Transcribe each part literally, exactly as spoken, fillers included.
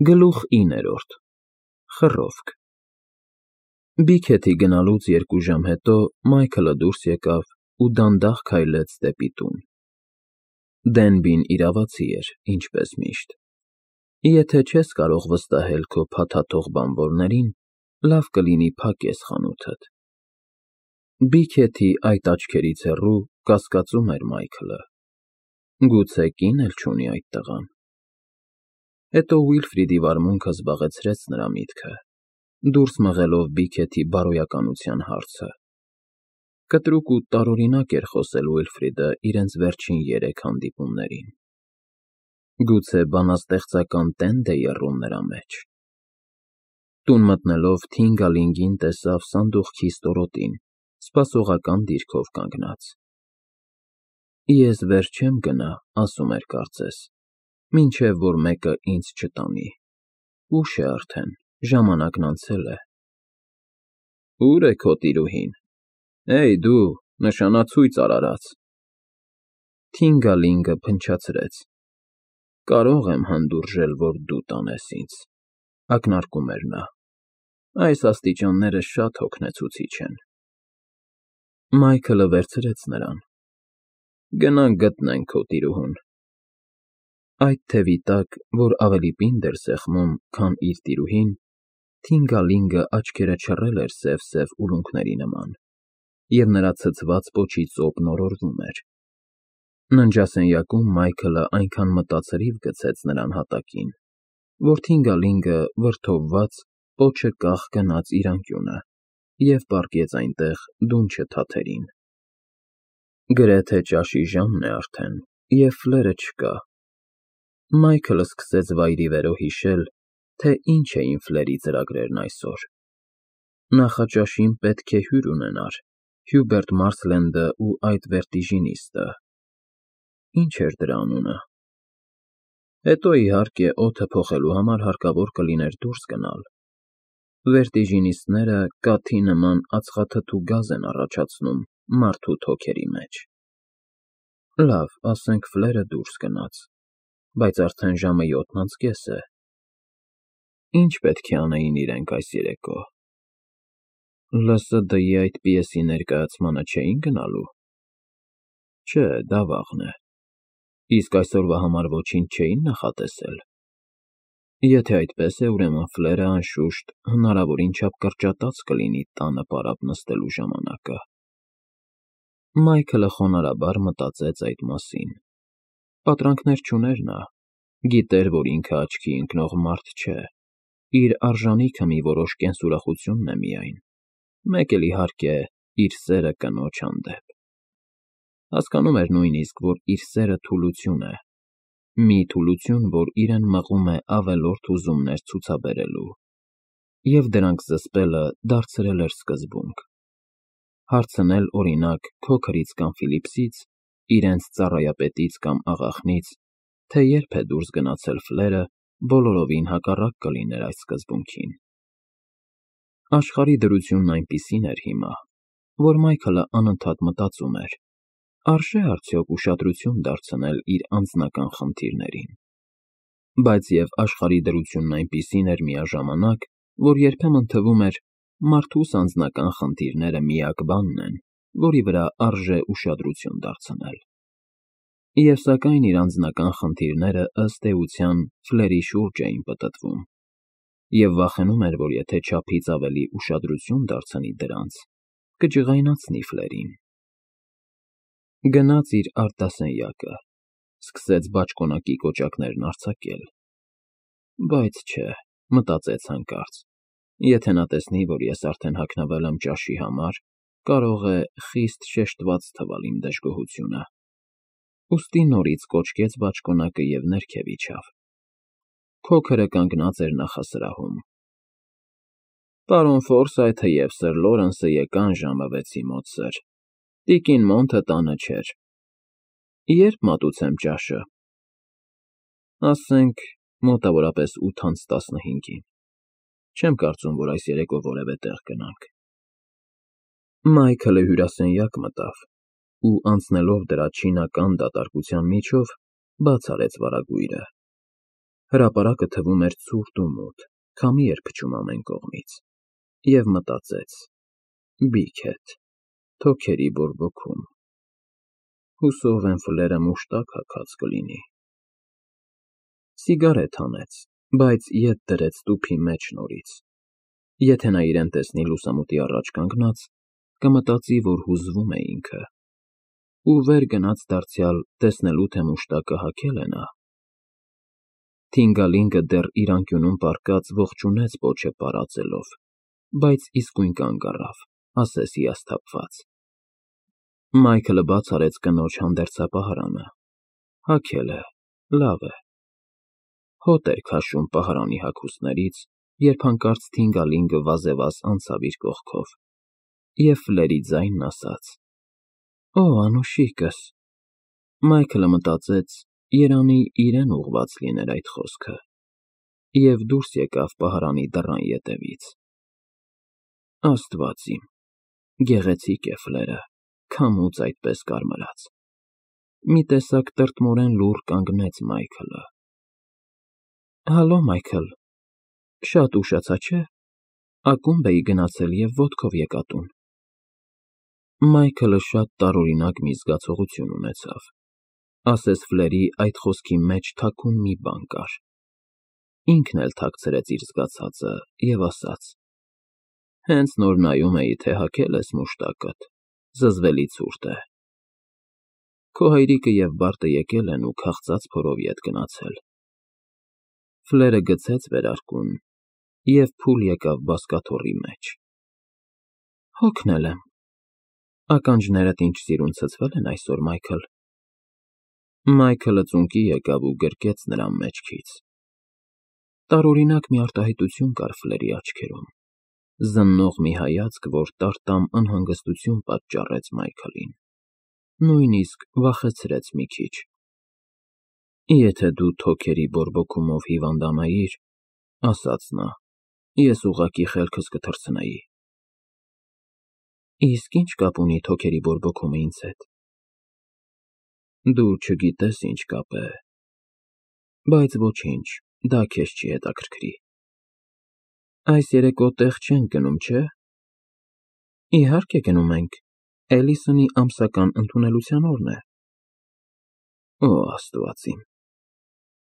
Գլուխ իններորդ Խռովք Բիքեթի գնալուց երկու ժամ հետո Մայքլը դուրս եկավ ու դանդաղ քայլեց դեպի տուն։ Դենբին իրավացի էր, ինչպես միշտ։ Եթե չես կարող վստահել քո փաթաթող բանվորներին, լավ կլինի փակես խանութդ։ Բիքեթի այդ աչքերից հեռու կասկածում էր Մայքլը. գուցե կին էլ չունի այդ տղան։ Հետո Ուիլֆրիդի վարմունքը զբաղեցրեց նրա միտքը, դուրս մղելով Բիքեթի բարոյականության հարցը։ Կտրուկ ու տարօրինակ էր խոսել Ուիլֆրիդը իրենց վերջին երեք հանդիպումներին։ Գուցե բանաստեղծական տենդ է եռում նրա մեջ։ Տուն մտնելով Թինգալինգին տեսավ սանդուղքի ստորոտին, սպասողական դիրքով կանգնած։ Ես վեր չեմ գնա, ասում էր կարծես, մինչև որ մեկը ինձ չտանի։ Ուշ է արդեն, ժամանակն անցել է։ Ո՞ւր է քո տիրուհին։ Էյ դու, նշանացույց արարած։ Թինգալինգը փնչացրեց։ Կարող եմ հանդուրժել, որ դու տանես ինձ, ակնարկում էր նա։ Այս աստիճանները շատ հոգնեցուցիչ են։ Մայքլը վերցրեց նրան։ Գնանք գտնենք քո տիրուհուն։ Այդ թևի տակ, որ ավելի պինդ էր սեղմում, քան իր տիրուհին, Թինգալինգը աչքերը չռել էր սև֊սև ուլունքների նման, և նրա ցցված պոչի ծոպն օրորվում էր։ Ննջասենյակում Մայքլը այնքան մտածրիվ գցեց նրան հատակին, որ Թինգալինգը, վրդովված, պոչը կախ գնաց իր անկյունը և պառկեց այնտեղ դունչը թաթերին։ Գրեթե ճաշի ժամն է արդեն, և ֆլերը չկա։ Մայքլը սկսեց վայրիվերո հիշել, թե ինչ էին ֆլերի ծրագրերն այսօր։ Նախաճաշին պետք է հյուր ունենար, Հյուբերտ Մարսլենդը ու այդ վերտիժինիստը։ Ինչ էր դրա անունը։ Հետո, իհարկե, օդը փոխելու համար հարկավոր կլիներ դուրս գնալ։ Վերտիժինիստները կաթի նման ածխաթթու գազ են առաջացնում մարդու թոքերի մեջ։ Լավ, ասենք ֆլերը դուրս գնաց, բայց արդեն ժամը յոթն անց կես է։ Ինչ պետք է անեին իրենք այս երեկո։ ԼՍԴ֊ի այդ պիեսի ներկայացմանը չէի՞ն գնալու։ Չէ, դա վաղն է։ Իսկ այսօրվա համար ոչինչ չէի՞ն նախատեսել։ Եթե այդպես է, ուրեմն ֆլերը, անշուշտ, հնարավորին չափ կրճատած կլինի տանը պարապ նստելու ժամանակը։ Մայքլը խոնարհաբար մտածեց այդ մասին։ Պատրանքներ չուներ նա, գիտեր, որ ինքը աչքի ընկնող մարդ չէ, իր արժանիքը մի որոշ կենսուրախությունն է միայն, մեկ էլ, իհարկե, իր սերը կնոջ հանդեպ։ Հասկանում էր նույնիսկ, որ իր սերը թուլություն է, մի թուլություն, որ իրեն մղում է ավելորդ ուզումներ ցուցաբերելու, և դրանք զսպելը դարձրել էր սկզբունք։ Հարցնել, օրինակ, քոքրից կամ Ֆիլիպսից, իրենց ծառայապետից կամ աղախնից, թե երբ է դուրս գնացել ֆլերը, բոլորովին հակառակ կլիներ այս սկզբունքին։ Աշխարհի դրությունն այնպիսին էր հիմա, որ Մայքլը անընդհատ մտածում էր. արժե՞ արդյոք ուշադրություն դարձնել իր անձնական խնդիրներին։ Բայց և աշխարհի դրությունն այնպիսին էր միաժամանակ, որ երբեմն թվում էր, մարդուս անձնական խնդիրները միակ բանն են, որի վրա արժե ուշադրություն դարձնել։ Եվ սակայն իր անձնական խնդիրները, ըստ էության, ֆլերի շուրջ էին պտտվում, և վախենում էր, որ եթե չափից ավելի ուշադրություն դարձնի դրանց, կջղայնացնի ֆլերին։ Գնաց իր արտասենյակը, սկսեց բաճկոնակի կոճակներն արձակել։ Բայց չէ, մտածեց հանկարծ, եթե նա տեսնի, որ ես արդեն հագնվել եմ ճաշի համար, կարող է խիստ շեշտված թվալ իմ դժգոհությունը։ Ուստի նորից կոճկեց բաճկոնակը և ներքև իջավ։ Քոքրը կանգնած էր նախասրահում։ Պարոն Ֆորսայթը և սըր Լորենսը եկան ժամը վեցի մոտ, սըր, տիկին Մոնթը տանը չէր։ Ե՞րբ մատուցեմ ճաշը։ Ասենք, մոտավորապես ութ անց տասնհինգին։ Չեմ կարծում, որ այս երեկո որևէ տեղ գնանք։ Մայքլը հյուրասենյակ մտավ ու, անցնելով դրա չինական դատարկության միջով, բաց արեց վարագույրը։ Հրապարակը թվում էր ցուրտ ու մութ, քամի էր փչում ամեն կողմից, և մտածեց. «Բիքեթ, թոքերի բորբոքում, հուսով եմ ֆլերը մուշտակ հագած կլինի»։ Սիգարետ հանեց, բայց ետ դրեց տուփի մեջ նորից։ Եթե նա իրեն տեսնի լուսամուտի առաջ կանգնած, կմտածի, որ հուզվում է ինքը, ու վեր գնաց դարձյալ տեսնելու, թե մուշտակը հագե՞լ է նա։ Թինգալինգը դեռ իր անկյունում պառկած ողջունեց պոչը պարածելով, բայց իսկույն կանգ առավ, ասես հիասթափված։ Մայքլը բաց արեց կնոջ հանդերձապահարանը։ Հագել է, լավ է։ Հոտ էր քաշում պահարանի հագուստներից, երբ հանկարծ Թինգալինգը վազեվազ անցավ իր կողքով, և Ֆլերի ձայնն ասաց. «Օ, անուշիկս»։ Մայքլը մտածեց, երանի իրեն ուղղված լիներ այդ խոսքը, և դուրս եկավ պահարանի դռան ետևից։ Աստված իմ, գեղեցիկ է Ֆլերը, քամուց այդպես կարմրած։ Մի տեսակ տրտմորեն լուռ կանգնեց Մայքլը։ Հալո, Մայքլ, շատ ուշացա, չէ՞։ Ակումբ էի գնացել և ոտքով եկա տուն։ Մայքլը շատ տարօրինակ մի զգացողություն ունեցավ, ասես Ֆլերի այդ խոսքի մեջ թաքուն մի բան կար։ Ինքն էլ թաքցրեց իր զգացածը և ասաց. «Հենց նոր նայում էի, թե հագել ես մուշտակդ, զզվելի ցուրտ է։ Քո հայրիկը և Բարտը եկել են ու քաղցած փորով ետ գնացել»։ Ֆլերը գցեց վերարկուն և փուլ եկավ բազկաթոռի մեջ։ Հոգնել եմ։ Ականջներդ ինչ սիրուն ցցվել են այսօր, Մայքլ։ Մայքլը ծունկի եկավ ու գրկեց նրա մեջքից։ Տարօրինակ մի արտահայտություն կար Ֆլերի աչքերում, զննող մի հայացք, որ տարտամ անհանգստություն պատճառեց Մայքլին, նույնիսկ վախեցրեց մի քիչ։ Եթե դու թոքերի բորբոքումով հիվանդանայիր, ասաց նա, ես ուղղակի խելքս կթռցնեի։ Իսկ ի՞նչ կապ ունի թոքերի բորբոքումը ինձ հետ։ Դու չգիտես ինչ կապ է, բայց ոչինչ, դա քեզ չի հետաքրքրի։ Այս երեկո տեղ չենք գնում, չէ՞։ Իհարկե գնում ենք, Էլիսոնի ամսական ընդունելության օրն է։ Օ, Աստված իմ,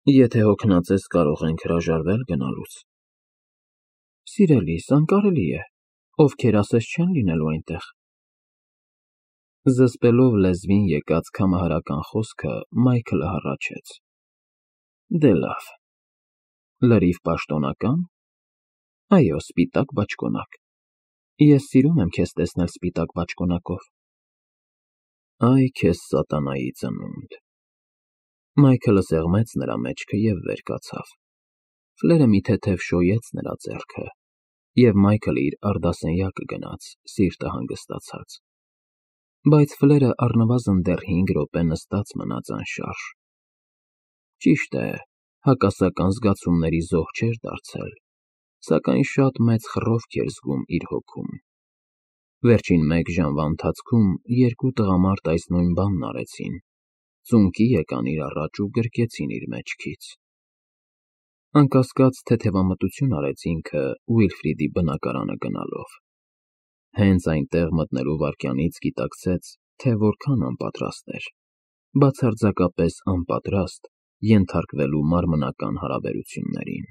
եթե հոգնած ես, կարող ենք հրաժարվել գնալուց։ Սիրելիս, անկարելի է, ովքեր ասես չեն լինելու այնտեղ։ Զսպելով լեզվին եկած քամահարական խոսքը Մայքլը հառաչեց. Դե լավ։ Լրիվ պաշտոնական։ Այո, սպիտակ բաճկոնակ։ Ես սիրում եմ քեզ տեսնել սպիտակ բաճկոնակով։ Այ քեզ սատանայի ծնունդ։ Մայքլը սեղմեց նրա մեջքը և վեր կացավ։ Ֆլերը մի թեթև շոյեց նրա ձեռքը, և Մայքլը իր արդասենյակը գնաց, սիրտը հանգստացած։ Բայց Ֆլերը առնվազն դեռ հինգ րոպե նստած մնաց անշարժ։ Ճիշտ է, հակասական զգացումների զոհ չէր դարձել, սակայն շատ մեծ խռովք էր զգում իր հոգում։ Վերջին մեկ ժամվա ընթացքում երկու տղամարդ այս նույն բանն արեցին, ծունկի եկան իր առաջ ու գրկեցին իր մեջքից։ Անկասկած թեթևամտություն արեց ինքը Ուիլֆրիդի բնակարանը գնալով։ Հենց այնտեղ մտնելու վայրկյանից գիտակցեց, թե որքան անպատրաստ էր, բացարձակապես անպատրաստ ենթարկվելու մարմնական հարաբերություններին։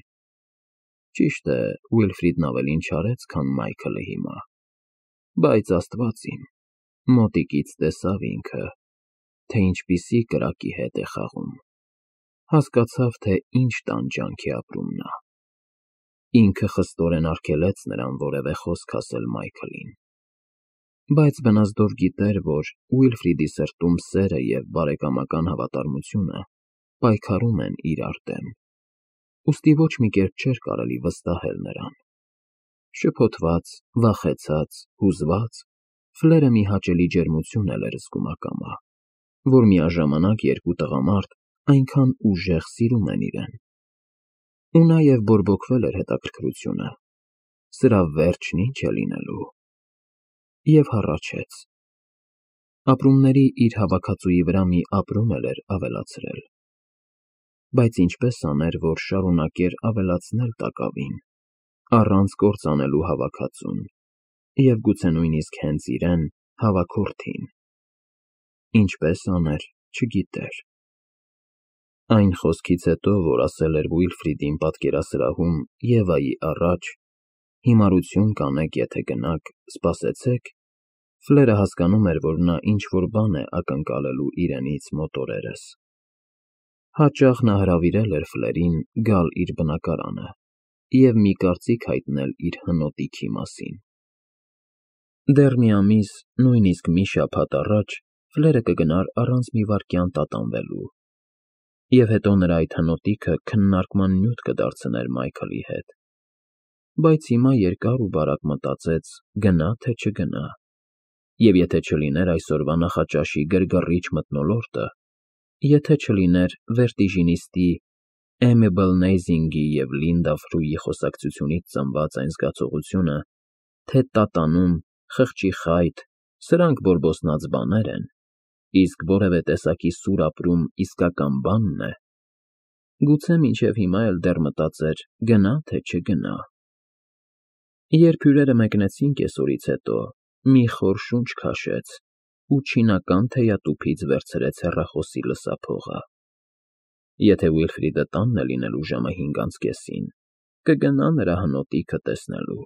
Ճիշտ է, Ուիլֆրիդն ավելին չարեց, քան Մայքլը հիմա, բայց Աստված իմ, մոտիկից տեսավ ինքը, թե ինչպիսի կրակի հետ է խաղում, հասկացավ, թե ինչ տանջանք է ապրում նա։ Ինքը խստորեն արգելեց նրան որևէ խոսք ասել Մայքլին, բայց բնազդով գիտեր, որ Ուիլֆրիդի սրտում սերը և բարեկամական հավատարմությունը պայքարում են իրար դեմ, ուստի ոչ մի կերպ չէր կարելի վստահել նրան։ Շփոթված, վախեցած, հուզված, Ֆլերը մի հաճելի ջերմություն էլ էր զգում ակամա, որ միաժամանակ երկու տղամարդ այնքան ուժեղ սիրում են իրեն։ Ու նաև բորբոքվել էր հետաքրքրությունը, սրա վերջն ինչ է լինելու։ Եվ հառաչեց։ Ապրումների իր հավաքածուի վրա մի ապրում էլ էր ավելացրել։ բայց ինչպես աներ, որ շարունակեր ավելացնել տակավին, առանց կործանելու հավաքածուն, և գուցե նույնիսկ հենց իրեն, հավաքորդին. ինչպես աներ, չգիտեր։ Այն խոսքից հետո, որ ասել էր Ուիլֆրիդին պատկերասրահում Եվայի առաջ. «Հիմարություն կանեք, եթե գնաք, սպասեցեք», Ֆլերը հասկանում էր, որ նա ինչ-որ բան է ակնկալելու իրենից մոտ օրերս։ Հաճախ նա հրավիրել էր Ֆլերին գալ իր բնակարանը և մի կարծիք հայտնել իր հնոտիքի մասին։ Դեռ մի ամիս, նույնիսկ մի շաբաթ առաջ Ֆլերը կգնար առանց մի վայրկյան տատանվելու, և հետո նրա այդ հնոտիքը քննարկման նյութ կդարձներ Մայքլի հետ։ Բայց հիմա երկար ու բարակ մտածեց՝ գնա, թե չգնա, և եթե չլիներ այսօրվա նախաճաշի գրգռիչ մթնոլորտը, եթե չլիներ վերտիժինիստի Էմեբլ Նեյզինգի և Լինդա Ֆրուի խոսակցությունից ծնված այն զգացողությունը, թե տատանում, խղճի խայթ, սրանք բորբոսնած բաներ են, իսկ որևէ տեսակի սուր ապրում իսկական բանն է, գուցե մինչև հիմա էլ դեռ մտածեր՝ գնա, թե չգնա։ Երբ հյուրերը մեկնեցին կեսօրից հետո, մի խոր շունչ քաշեց ու չինական թեյատուփից վերցրեց հեռախոսի լսափողը։ Եթե Ուիլֆրիդը տանն է լինելու ժամը հինգ անց կեսին, կգնա նրա հնոտիքը տեսնելու։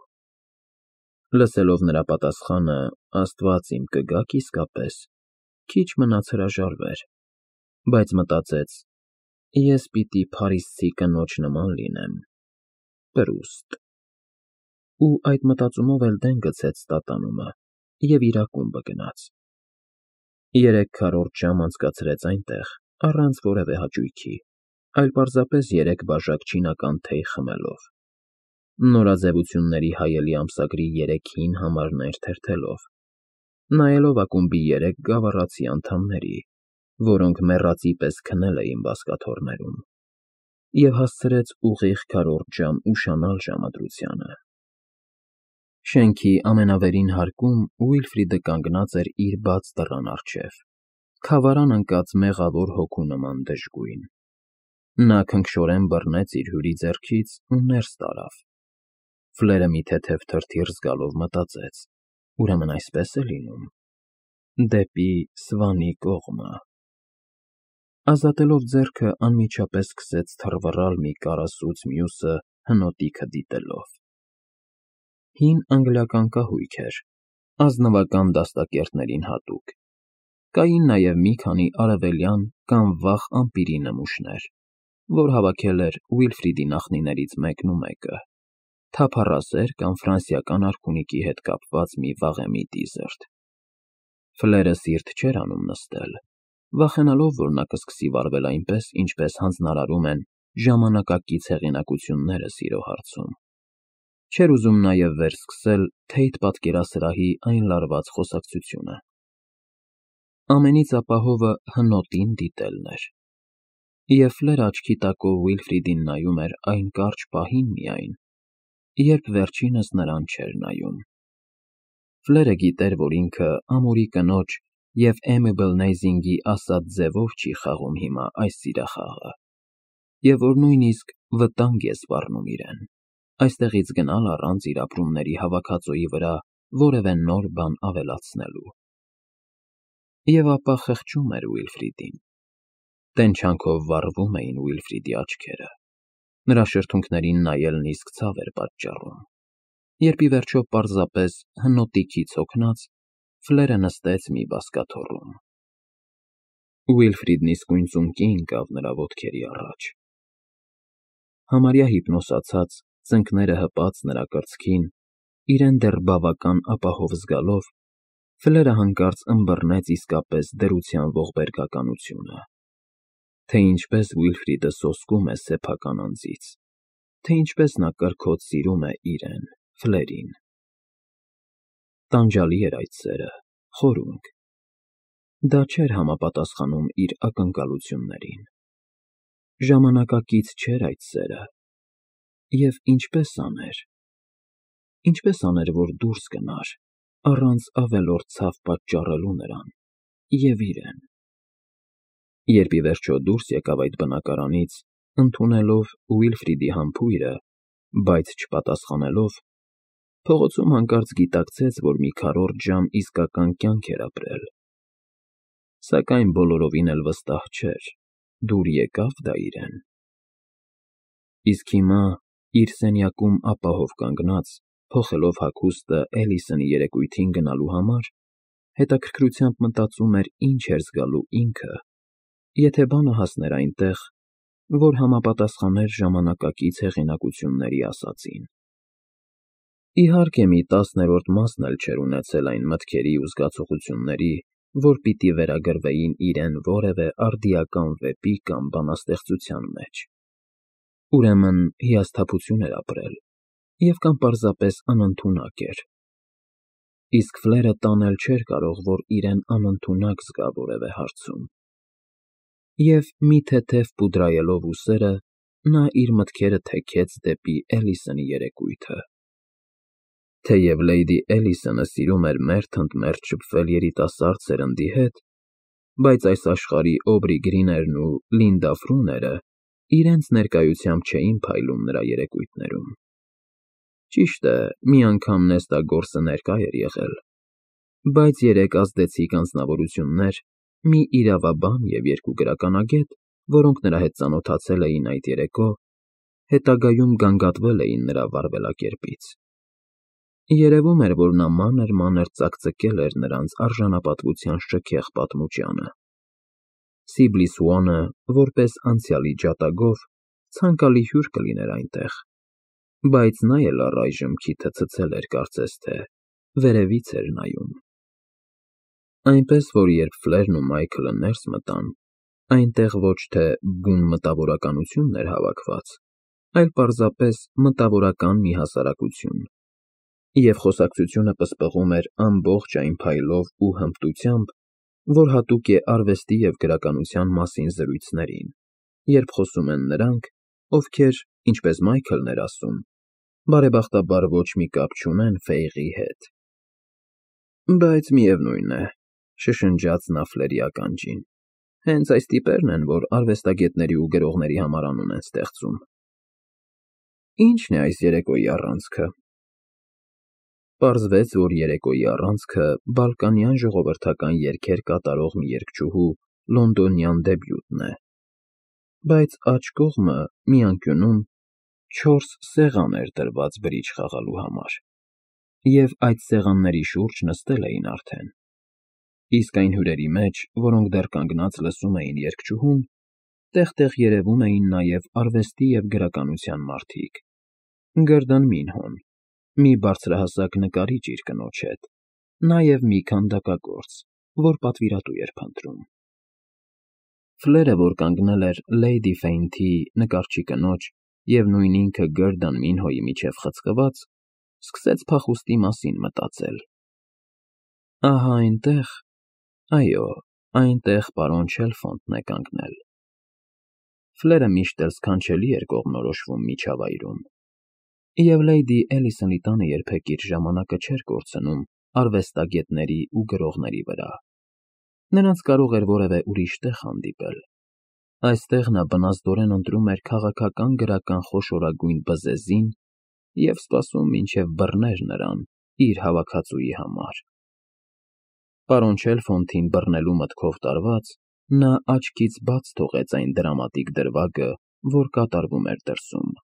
Լսելով նրա պատասխանը, Աստված իմ, կգաք իսկապես, քիչ մնաց հրաժարվեր, բայց մտածեց՝ ես պիտի փարիզցի կնոջ նման լինեմ, պրուստ։ Ու այդ մտածումով էլ դեն գցեց տատանումը և իր ակումբը գնաց։ Երեք քառորդ ժամ անցկացրեց այնտեղ, առանց որևէ հաճույքի, այլ պարզապես երեք բաժակ չինական թեյ խմելով, նորաձևությունների հայելի ամսագրի երեք հին համարներ թերթելով, նայելով ակումբի երեք գավառացի անդամների, որոնք մեռածի պես քնել էին բազկաթոռներում, և հասցրեց ուղիղ քառորդ ժամ ուշանալ ժամադրությանը։ Շենքի ամենավերին հարկում Ուիլֆրիդը կանգնած էր իր բաց դռան առջև, քավարան ընկած մեղավոր հոգու նման դժգույն։ Նա քնքշորեն բռնեց իր հյուրի ձեռքից ու ներս տարավ։ Ֆլերը մի թեթև թրթիռ զգալով մտածեց. ուրեմն այսպես է լինում, դեպի Սվանի կողմը։ Ազատելով ձեռքը, անմիջապես սկսեց թռվռալ մի կարասուց մյուսը հնոտիքը դիտելով։ Հին անգլիական կահույք էր, ազնվական դաստակերտներին հատուկ։ Կային նաև մի քանի արևելյան կամ վաղ ամպիրի նմուշներ, որ հավաքել էր Ուիլֆրիդի նախնիներից մեկն ու մեկը, թափառասեր կամ ֆրանսիական արքունիքի հետ կապված մի վաղեմի դիզերտ։ Ֆլերը սիրտ չէր անում նստել, վախենալով, որ նա կսկսի վարվել այնպես, ինչպես հանձնարարում են ժամանակակից հեղինակությունները սիրո հարցում։ Չէր ուզում նաև վերսկսել Թեյթ պատկերասրահի այն լարված խոսակցությունը։ Ամենից ապահովը հնոտին դիտելն էր։ Եվ Ֆլերը աչքի տակով Ուիլֆրիդին նայում էր այն կարճ պահին միայն, երբ վերջինս նրան չէր նայում։ Ֆլերը գիտեր, որ ինքը ամուրի կնոջ և Էմեբլ Նեյզինգի ասած ձևով չի խաղում հիմա այս սիրախաղը, և որ նույնիսկ վտանգ է սպառնում իրեն, այստեղից գնալ առանց իր ապրումների հավաքածուի վրա որևէ նոր բան ավելացնելու։ Եվ ապա խղճում էր Ուիլֆրիդին։ Տենչանքով վառվում էին Ուիլֆրիդի աչքերը, նրա շրթունքներին նայելն իսկ ցավ էր պատճառում, երբ ի վերջո պարզապես հնոտիքից հոգնած Ֆլերը նստեց մի բազկաթոռում։ Ուիլֆրիդն իսկույն ծունկի ընկավ նրա ոտքերի առաջ։ Համարյա հիպնոսացած, ծնկները հպած նրա կրծքին, իրեն դեռ բավական ապահով զգալով, Ֆլերը հանկարծ ըմբռնեց իսկապես դրության ողբերգականությունը, թե ինչպես Ուիլֆրիդը սոսկում է սեփական անձից, թե ինչպես նա կրքոտ սիրում է իրեն՝ Ֆլերին։ Տանջալի էր այդ սերը, խորունկ։ Դա չէր համապատասխանում իր ակնկալություններին։ Ժամանակակից չէր այդ սերը։ Եվ ինչպե՞ս աներ։ Ինչպե՞ս աներ, որ դուրս գնար, առանց ավելորդ ցավ պատճառելու նրան և իրեն։ Երբ ի վերջո դուրս եկավ այդ բնակարանից, Ընդունելով Ուիլֆրիդի համբույրը, բայց չպատասխանելով, փողոցում հանկարծ գիտակցեց, որ մի քառորդ ժամ իսկական կյանք էր ապրել, սակայն բոլորովին էլ վստահ չէր՝ դուր եկա՞վ դա իրեն։ Իսկ հիմա, իր սենյակում ապահով կանգնած, փոխելով հագուստը Էլիսոնի երեկույթին գնալու համար, հետաքրքրությամբ մտածում էր ինչ էր զգալու ինքը, եթե բանը հասներ այնտեղ, որ համապատասխաներ ժամանակակից հեղինակությունների ասածին։ Իհարկե, մի տասներորդ մասն էլ չէր ունեցել այն մտքերի ու զգացողությունների, որ պիտի վերագրվեին իրեն որևէ արդիական վեպի կամ բանաստեղծության մեջ։ Ուրեմն հիասթափություն էր ապրել և կամ պարզապես անընդունակ էր։ Իսկ Ֆլերը տանել չէր կարող, որ իրեն անընդունակ զգա որևէ հարցում։ Եվ մի թեթև պուդրայելով ուսերը, նա իր մտքերը թեքեց դեպի Էլիսոնի երեկույթը։ Թեև Լեյդի Էլիսոնը սիրում էր մերթ ընդ մերթ շփվել երիտասարդ սերնդի հետ, բայց այս աշխարհի Օբրի Գրիներն ու Լինդա Ֆրուները իրենց ներկայությամբ չէին փայլում նրա երեկույթներում։ Ճիշտ է, մի անգամ նեստագորսը ներկա էր եղել, բայց երեք ազդեցիկ անձնավորություններ, մի իրավաբան և երկու գրականագետ, որոնք նրա հետ ծանոթացել էին այդ երեկո, հետագայում գանգատվել էին նրա վարվելակերպից։ Երևում էր, որ նա մանր-մանր ծակծկել էր նրանց արժանապատվության շքեղ պատմուճանը։ Սիբլի Սուանը, որպես անցյալի ջատագով, ցանկալի հյուր կլիներ այնտեղ, բայց նա էլ առայժմ քիթը ցցել էր, կարծես թե, վերևից էր նայում։ Այնպես որ երբ Ֆլերն ու Մայքլը ներս մտան, այնտեղ ոչ թե բուն մտավորականություն էր հավաքված, այլ պարզապես մտավորական մի հասարակություն, և խոսակցությունը պսպղում էր ամբողջ այն փայլով ու հմտությամբ, որ հատուկ է արվեստի և գրականության մասին զրույցներին, երբ խոսում են նրանք, ովքեր, ինչպես Մայքլն էր ասում, բարեբախտաբար ոչ մի կապ չունեն Ֆեյղի հետ։ Բայց միևնույն է, շշնջաց նա Ֆլերի ականջին, հենց այս տիպերն են, որ արվեստագետների ու գրողների համար անուն են ստեղծում։ Ի՞նչն է այս երեկոյի առանցքը։ Պարզվեց, որ երեկոյի առանցքը բալկանյան ժողովրդական երգեր կատարող մի երգչուհու լոնդոնյան դեբյուտն է, բայց աջ կողմը մի անկյունում չորս սեղան էր դրված բրիջ խաղալու համար, և այդ սեղանների շուրջ նստել էին արդեն, իսկ այն հյուրերի մեջ, որոնք դեռ կանգնած լսում էին երգչուհուն, տեղ֊տեղ երևում էին նաև արվեստի և գրականության մարդիկ. Գըրդն Մինհոն, մի բարձրահասակ նկարիչ իր կնոջ հետ, նաև մի քանդակագործ, որ պատվիրատու էր փնտրում։ Ֆլերը, որ կանգնել էր Լեյդի Ֆեյնթի նկարչի կնոջ և նույն ինքը Գըրդն Մինհոյի միջև խցկված, սկսեց փախուստի մասին մտածել։ Ահա այնտեղ, այո, այնտեղ պարոն Չելֆոնտն է կանգնել։ Ֆլերը միշտ էլ սքանչելի էր կողմնորոշվում միջավայրում, և Լեյդի Էլիսոնի տանը երբեք իր ժամանակը չէր կորցնում արվեստագետների ու գրողների վրա։ Նրանց կարող էր որևէ ուրիշ տեղ հանդիպել։ Այստեղ նա բնազդորեն ընտրում էր քաղաքական գրական խոշորագույն բզեզին և սպասում, մինչև բռներ նրան իր հավաքածուի համար։ Պարոն Չելֆոնտին բռնելու մտքով տարված, նա աչքից բաց թողեց այն դրամատիկ դրվագը, որ կատարվում էր դրսում։